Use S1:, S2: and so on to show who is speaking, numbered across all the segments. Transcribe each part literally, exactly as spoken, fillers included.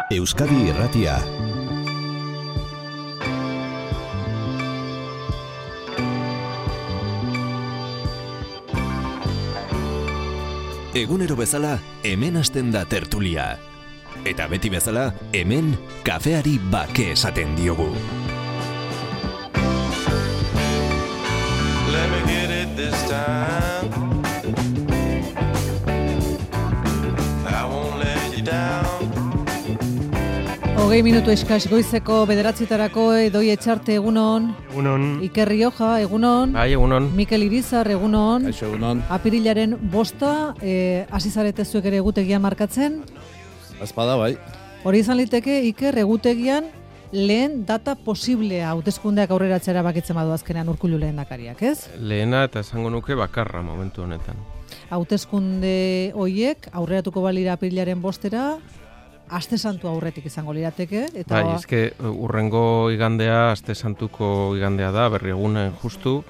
S1: Euskadi Irratia. Egunero bezala, hemen hasten da tertulia. Eta beti bezala, hemen kafeari bake esaten diogu.
S2: Let me get it this time. I won't let you down.
S3: Hogei minutu eskas goizeko bederatzitarako Edoi Etxarte egunon.
S4: Egunon.
S3: Iker Rioja egunon.
S4: Bai, egunon.
S3: Mikel Irizar egunon.
S5: Aixo, egunon.
S3: Apirilaren bosta, eh, hasi zarete zuek ere egutegia markatzen.
S5: Azpada, bai.
S3: Hori izan liteke, Iker, egutegian lehen data posiblea hauteskundeak aurreratzera bakitzen badu azkenean Urkullu lehendakariak, ez?
S4: Lehena eta esango nuke bakarra momentu honetan.
S3: Hauteskunde hoiek aurreratuko balira apirilaren bostera, aste santu aurretik izango lirateke. Eta
S4: bai, ezke urrengo igandea, aste santuko igandea da, berri egunen justu,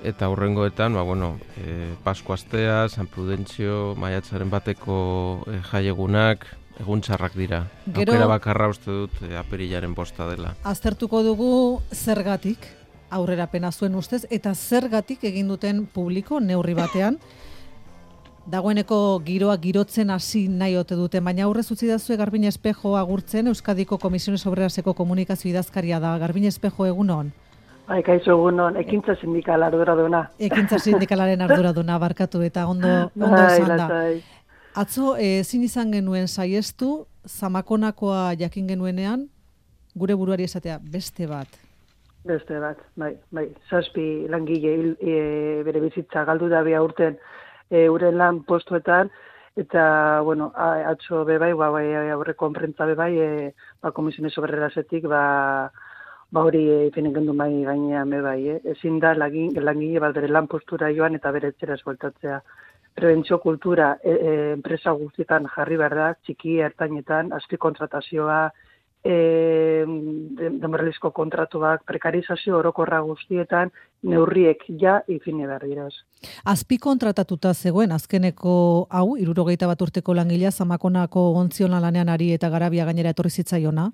S4: eta urrengoetan, ba, bueno, e, Pasko astea, San Prudentzio, maiatzaren bateko e, jaiegunak, egun txarrak dira.
S3: Gero,
S4: aukera bakarra uste dut e, apirilaren bosta dela.
S3: Aztertuko dugu zergatik aurrerapena zuen ustez, eta zergatik egin duten publiko neurri batean. Dagoeneko giroa girotzen hasi nahi ote duten, baina aurrez utzi dazue Garbin Espejo agurtzen, Euskadiko Komisiones Obreraseko komunikazio idazkaria da. Garbin Espejo egunon.
S6: Bai, kaixo egunon, ekintza sindikal arduraduna.
S3: Ekintza sindikalaren arduraduna barkatu eta ondo, ondo esan da. Atzo, ezin izan genuen saiestu, Zamakonakoa jakin genuenean, gure buruari esatea, beste bat.
S6: Beste bat, bai, bai. Zazpi langile hil, e, bere bizitza galdu da bea urten e, euren lan postuetan, eta, bueno, a, atzo be bai, ba, bai, aurreko konprentza be bai, e, ba, Komisiones Obrerasetik, ba, ba hori ipinen gendu mai gainean be bai, eh? Ezin da lagin, langile bat bere lan postura joan eta bere etxera esbueltatzea. Prebentzio kultura e, e, enpresa guztietan jarri behar da, txiki ertainetan, azpikontratazioa, e, denboralizko kontratuak, prekarizazio orokorra guztietan, neurriek ja ipini behar diraz.
S3: Azpikontratatuta zegoen azkeneko hau, hirurogeita bat urteko langilea, Zamakonako ontziona lanean ari eta Garabia gainera etorri zitzaiona.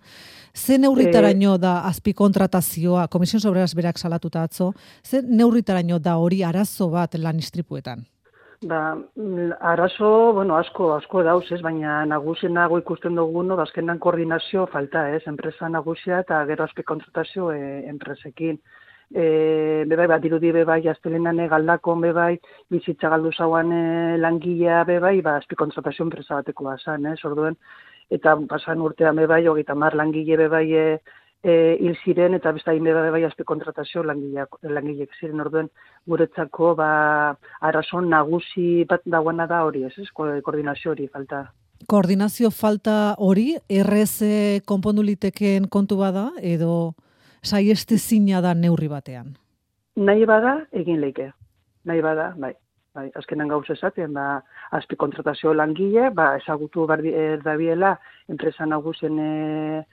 S3: Ze neurritaraino da azpikontratazioa, Komisiones Obreras berak salatuta atzo, ze neurritaraino da hori arazo bat lan istripuetan?
S6: Ba, arazo, bueno, asko, asko dauz, ez, baina nagusienago ikusten duguno, bazkenan koordinazio falta, ez, enpresa nagusia eta gero azpikontratazio e, enpresekin. E, bebai, bat dirudi bebai, aztelenane galdakon bebai, bizitza galdu zauan e, langilea bebai, ba, azpikontratazio enpresa bateko bazan, ez, orduen, eta pasan urtean bebai, hogeita mar langile bebai, e, E, hil ziren eta beste hain beba bai azpikontratazio langileak, langilek ziren orduen guretzako ba, arazon nagusi bat dagoena da hori, ez, ez? Koordinazio hori falta.
S3: Koordinazio falta hori, errez konpondu litekeen kontu bada edo saiestezina da neurri batean?
S6: Nahi bada egin leike, nahi bada, bai. Bai, azkenan gauz esaten, ba, azpikontratazio langile, ba, ezagutu bardi, erdabiela, enpresa nagusien e,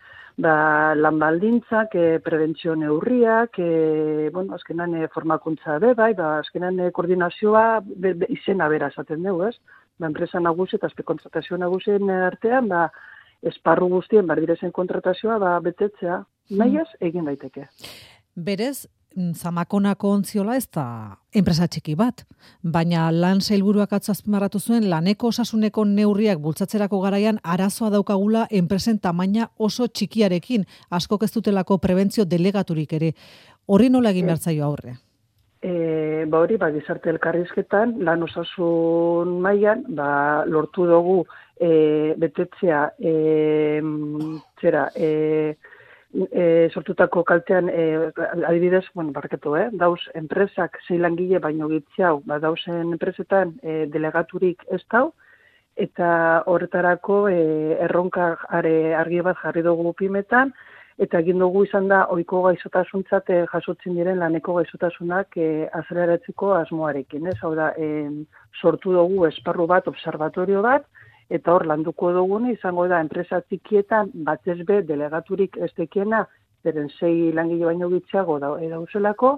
S6: ba, lan baldintzak, e, prebentzio neurriak, e, bueno, azkenan e, formakuntza be, bai, ba, azkenan e, koordinazioa be, be, izena bera esaten dugu, ez? Ba, enpresa nagusi eta azpikontratazio nagusien artean, ba, esparru guztien, bardirezen kontratazioa, ba, betetzea, nahiaz egin daiteke.
S3: Berez, Zamakonako ontziola ez da enpresa txiki bat, baina lan sailburuak atzo azpimarratu zuen laneko osasuneko neurriak bultzatzerako garaian arazoa daukagula enpresen tamaina oso txikiarekin, askok ez dutelako prebentzio delegaturik ere. Horri nola egin behar zaio aurre?
S6: E, ba hori, ba, gizarte elkarrizketan, lan osasun mailan, ba, lortu dugu e, betetzea, e, zera, e, E, sortutako kaltean, e, adibidez, bueno, barketu, eh? dauz enpresak sei langile baino gitziau, ba, dauzen enpresetan e, delegaturik ez dau, eta horretarako e, erronka are, argi bat jarri dugu pimetan, eta egin dugu izan da ohiko gaizotasuntzat e, jasotzen diren laneko gaizotasunak e, azaleratzeko asmoarekin. Ez? Hau da, e, sortu dugu esparru bat, observatorio bat, eta hor landuko dugune izango da enpresa txikietan batez be delegaturik ez dekiena, beren sei langile baino gitziago da, dauzelako,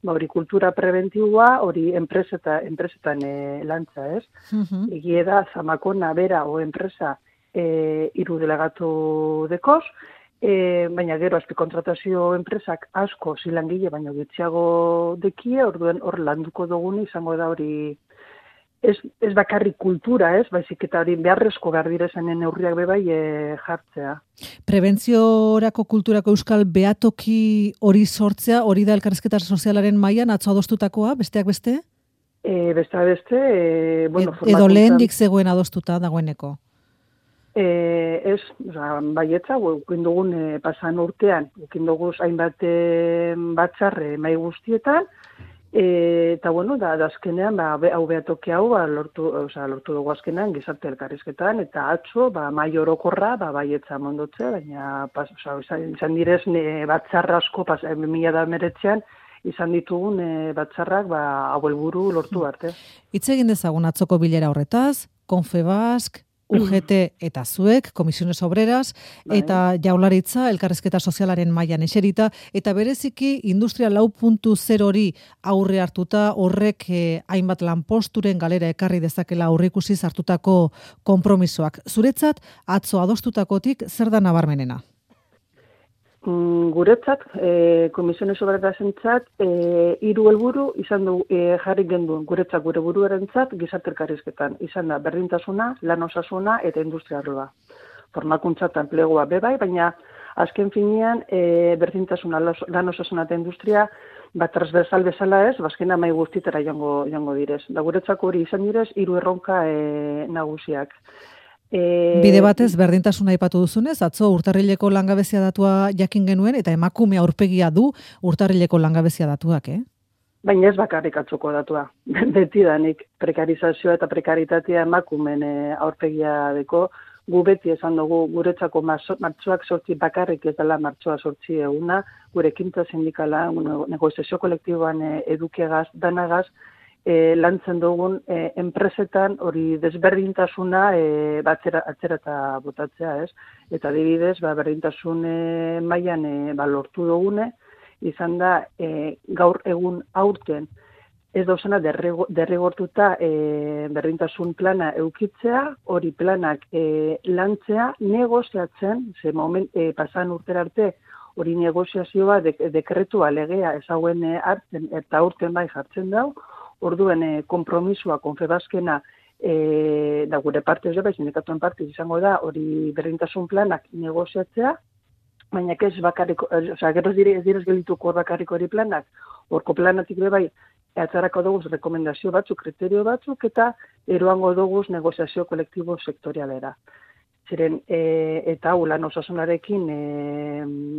S6: ba hori kultura preventiboa, hori enpreseta, enpresetan e, lantza, ez? Uh-huh. Egie da, Zamakona bera o enpresa e, iru delegatu dekoz, e, baina gero azpikontratazio enpresak asko zilangile baino gutxiago dekie, orduen hor landuko duguni izango da hori ez, ez bakarrik kultura, ez, baizik eta hori beharrezko behar direzenen neurriak bebai e, jartzea.
S3: Prebentziorako kulturako euskal behatoki hori sortzea, hori da elkarrizketa sozialaren mailan atzo adostutakoa, besteak beste?
S6: E, beste beste, e, bueno,
S3: Ed, edo lehendik zegoen adostuta dagoeneko?
S6: E, ez, oza, baietza, ukin dugun e, pasan urtean, ukin dugu hainbat e, batzarre mai guztietan, e, eta bueno, da, da azkenean, ba, be, hau behatoki hau, ba, lortu, oza, lortu dugu azkenean gizarte elkarrizketan, eta atzo, ba, mai orokorra, ba, baietza mondotzea, baina, pas, oza, izan, izan direz, ne, batzarra asko, pas, mila da meretzean, izan ditugun e, batzarrak ba, hau helburu lortu arte.
S3: Hitz egin dezagun atzoko bilera horretaz, Confebask, U G T eta zuek, Comisiones Obreras, bai. Eta Jaurlaritza elkarrizketa sozialaren mailan eserita, eta bereziki Industria lau puntu zero hori aurre hartuta, horrek eh, hainbat lanposturen galera ekarri dezakela aurreikusiz hartutako konpromisoak. Zuretzat, atzo adostutakotik zer da nabarmenena?
S6: Guretzat, e, Komisiones Obrerasentzat, e, hiru helburu izan du e, jarri genduen guretzat gure buruarentzat gizarte elkarrizketan. Izan da berdintasuna, lan osasuna eta industria arloa. Formakuntza eta enplegua bebai, baina azken finean e, berdintasuna, lan osasuna eta industria bat transversal bezala ez, bazkena mai guztitera joango, joango direz. Da guretzako hori izan direz, hiru erronka e, nagusiak.
S3: E... Bide batez, berdintasuna aipatu duzunez, atzo urtarrileko langabezia datua jakin genuen, eta emakume aurpegia du urtarrileko langabezia datuak, eh?
S6: Baina ez bakarrik atzoko datua. Betidanik prekarizazioa eta prekaritatea emakumen aurpegia deko, gu beti esan dugu guretzako martxoak sortzi bakarrik ez dela martxoa sortzi eguna, gure ekintza sindikala, negoziazio kolektiboan edukiagaz, danagaz, E, lantzen dugun e, enpresetan hori desberdintasuna e, batzera, atzera eta botatzea, ez? Eta adibidez, ba, berdintasun e, mailan e, ba, lortu dugune, izan da e, gaur egun aurten ez dauzena derrigortuta e, berdintasun plana eukitzea, hori planak e, lantzea, negoziatzen, ze moment, e, pasan urtera arte, hori negoziazioa de, dekretua legea ezauen e, hartzen eta aurten bai jartzen dau, orduen e, kompromisua, Confebaskena, e, da gure partez jo, sindikatuen partez izango da, hori berdintasun planak negoziatzea, baina ez bakarriko, osea, gero ez direz dire geldituko hor bakarriko hori planak, horko planatik be bai, atzarako dugu rekomendazio batzuk, kriterio batzuk, eta eroango dugu negoziazio kolektibo sektorialera. Ziren, e, eta hau lan osasunarekin e,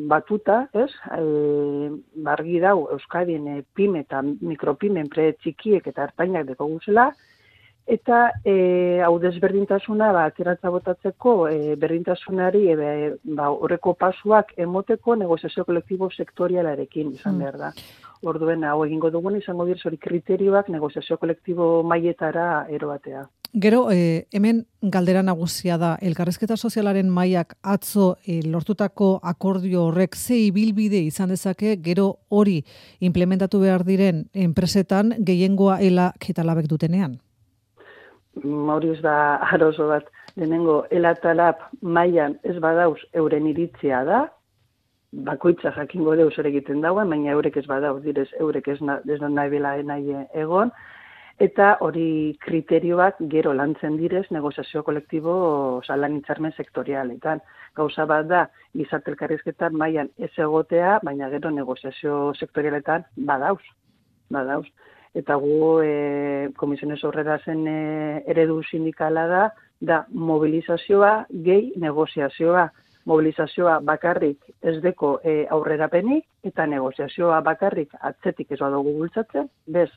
S6: batuta, ez, e, bargi dau Euskadin e, pime eta mikropime enpre txikiek eta ertainak deko guzela, eta e, hau desberdintasuna ba, atzeratza botatzeko e, berdintasunari e, ba, horreko pasuak emoteko negoziazio kolektibo sektorialarekin izan behar da. Orduen, hau egingo dugun izango direz hori kriterioak negoziazio kolektibo mailetara eroatea.
S3: Gero, eh, hemen galdera nagusia da, elkarrizketa sozialaren mailak atzo eh, lortutako akordio horrek ze ibilbide izan dezake, gero hori implementatu behar diren enpresetan gehiengoa elak eta labek dutenean?
S6: Hori ez da aroso bat, lehenengo ela eta lab mailan ez badauz euren iritzia da, bakoitza jakingo deuz ere egiten dauen, baina eurek ez badauz direz, eurek ez, na, ez da nahi bela nahi egon, eta hori kriterioak gero lantzen direz negoziazio kolektibo oza, lan hitzarmen sektorialetan. Gauza bat da, gizarte elkarrizketan mailan ez egotea, baina gero negoziazio sektorialetan badauz. badauz. Eta gu e, Komisiones Obrerasen e, eredu sindikala da, da mobilizazioa gehi negoziazioa. Mobilizazioa bakarrik ez deko e, aurrerapenik, eta negoziazioa bakarrik atzetik ez badugu bultzatzen, bez,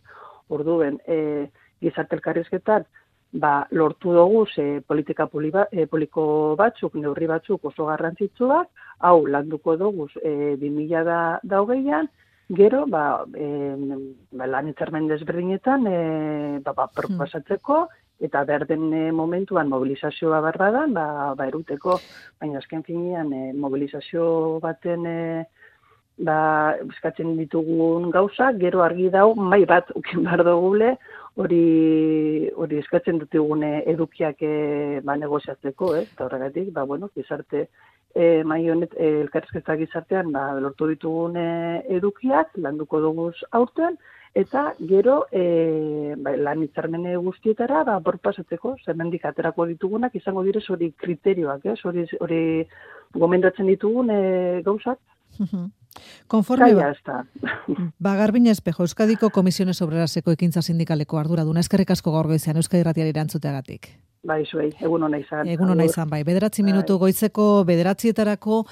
S6: orduen, e, gizarte elkarrizketan, ba, lortu dugu ze politika poliba, e, poliko batzuk, neurri batzuk oso garrantzitsuak, hau landuko dugu e, bi mila da, da hogeian, gero, ba, e, ba, lan hitzarmen desberdinetan, e, ba, ba, proposatzeko, eta berden e, momentuan mobilizazioa barbadan, ba, ba, eruteko, baina azken finean e, mobilizazio baten e, ba, eskatzen ditugun gauza, gero argi dau, mai bat ukin behar dugule, hori hori eskatzen dutugune edukiak e, ba, negoziatzeko, eh? Eta horregatik, ba, bueno, gizarte e, mai honet, e, elkarrizketa gizartean ba, lortu ditugun e, edukiak, landuko dugu aurten, eta gero e, ba, lan hitzarmene guztietara ba, borpasatzeko, zemendik aterako ditugunak, izango direz hori kriterioak, eh? hori, hori gomendatzen ditugun e, gauzak.
S3: Konforme ba, ba Garbina Espejo, Euskadiko Komisiones Obreraseko ekintza sindikaleko arduraduna, eskerrik asko gaur goizean Euskadi Irratiari erantzuteagatik.
S6: Bai, zuei, egun hona izan.
S3: Egun hona izan, bai. Bederatzi minutu goizeko bederatzietarako